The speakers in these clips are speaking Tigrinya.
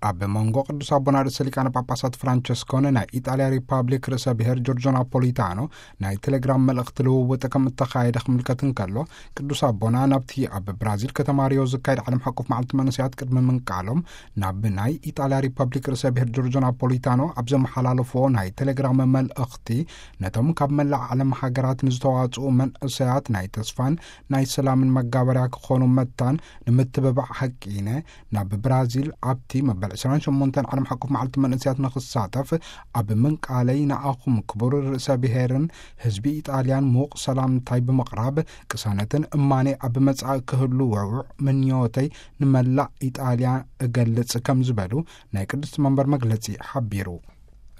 ኣብ መንጎ ቅዱስ ኣቦና ርእሰ ሊቃነ ጳጳሳት ፍራንቸስኮን ናይ ኢጣልያ ሪፓብሊክ ርእሰ ብሔር ጆርጆ ናፖሊታኖ ናይ ቴሌግራም መልእኽቲ ልውውጥ ከም እተኻየደ ክምልከት እንከሎ፣ ቅዱስ ኣቦና ናብቲ ኣብ ብራዚል ከተማ ሪዮ ዝካየድ ዓለም ሓቆፍ መዓልቲ መንእሰያት ቅድሚ ምንቃሎም፣ ናብ ናይ ኢጣልያ ሪፓብሊክ ርእሰ ብሔር ጆርጆ ናፖሊታኖ ኣብ ዘመሓላለፎ ናይ ቴሌግራም መልእኽቲ፣ ነቶም ካብ መላእ ዓለም ሃገራት ንዝተዋጽኡ መንእሰያት ናይ ተስፋን ናይ ሰላምን መጋበርያ ክኾኑ መታን ንምትብባዕ ሓቂነ ናብ ብራዚል ኣብቲ መበል ዕስራን ሸሞንተን ዓለም ሓቆፍ መዓልቲ መንእሰያት ንኽሳተፍ ኣብ ምንቃለይ፣ ንኣኹም ክቡር ርእሰ ብሔርን ህዝቢ ኢጣልያን ምዉቕ ሰላምታይ ብምቕራብ፣ ቅሳነትን እማኔ ኣብ መጻኢ ክህሉ ውዕዉዕ ምንዮተይ ንመላእ ኢጣልያ እገልጽ ከም ዝበሉ ናይ ቅድስቲ መንበር መግለጺ ሓቢሩ።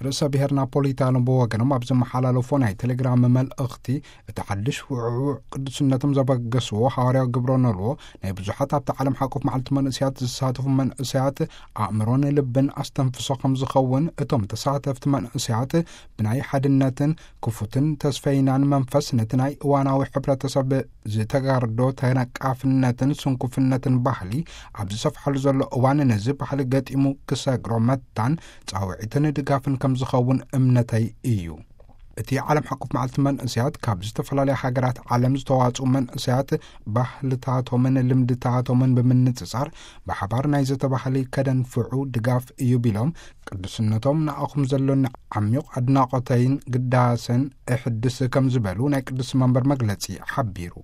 ርእሰ ብሔር ናፖሊታኖ ብወገኖም ኣብ ዘመሓላለፎ ናይ ቴሌግራም መልእኽቲ፣ እቲ ሓድሽ ውዕዉዕ ቅዱስነቶም ዘበገስዎ ሃዋርያዊ ግብረ ኖልዎ ናይ ብዙሓት ኣብቲ ዓለም ሓቆፍ መዓልቲ መንእሰያት ዝሳተፉ መንእሰያት ኣእምሮን ልብን ኣስተንፍሶ ከም ዝኸውን፣ እቶም ተሳተፍቲ መንእሰያት ብናይ ሓድነትን ክፉትን ተስፈይናን መንፈስ ነቲ ናይ እዋናዊ ሕብረተሰብ ዝተጋርዶ ተነቃፍነትን ስንኩፍነትን ባህሊ ኣብ ዝሰፍሓሉ ዘሎ እዋን፣ ነዚ ባህሊ ገጢሙ ክሰግሮ መታን ጻውዒትን ድጋፍን ከም ዝኸውን እምነተይ እዩ። እቲ ዓለም ሓቆፍ መዓልቲ መንእሰያት ካብ ዝተፈላለያ ሃገራት ዓለም ዝተዋጽኡ መንእሰያት ባህልታቶምን ልምድታቶምን ብምንጽጻር ብሓባር ናይ ዘተ ባህሊ ከደንፍዑ ድጋፍ እዩ ቢሎም፣ ቅዱስነቶም ንኣኹም ዘሎኒ ዓሚቕ ኣድናቖተይን ግዳሰን እሕድስ ከም ዝበሉ ናይ ቅዱስ መንበር መግለጺ ሓቢሩ።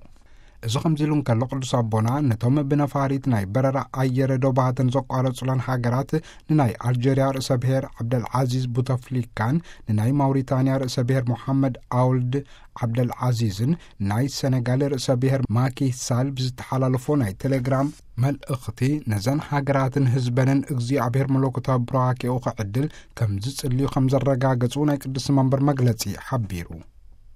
እዚ ከምዚ ኢሉ እንከሎ፣ ቅዱስ ኣቦና ነቶም ብነፋሪት ናይ በረራ ኣየር ዶባተን ዘቋረጹለን ሃገራት፣ ንናይ ኣልጀርያ ርእሰ ብሔር ዓብደልዓዚዝ ቡተፍሊካን፣ ንናይ ማውሪታንያ ርእሰ ብሔር ሞሓመድ ኣውልድ ዓብደልዓዚዝን፣ ናይ ሰነጋል ርእሰ ብሔር ማኪ ሳል ብዝተሓላለፎ ናይ ቴሌግራም መልእኽቲ፣ ነዘን ሃገራትን ህዝበንን እግዚኣብሔር መለኮታዊ ቡራኬኡ ክዕድል ከም ዝጽልዩ ከም ዘረጋገጹ ናይ ቅዱስ መንበር መግለጺ ሓቢሩ።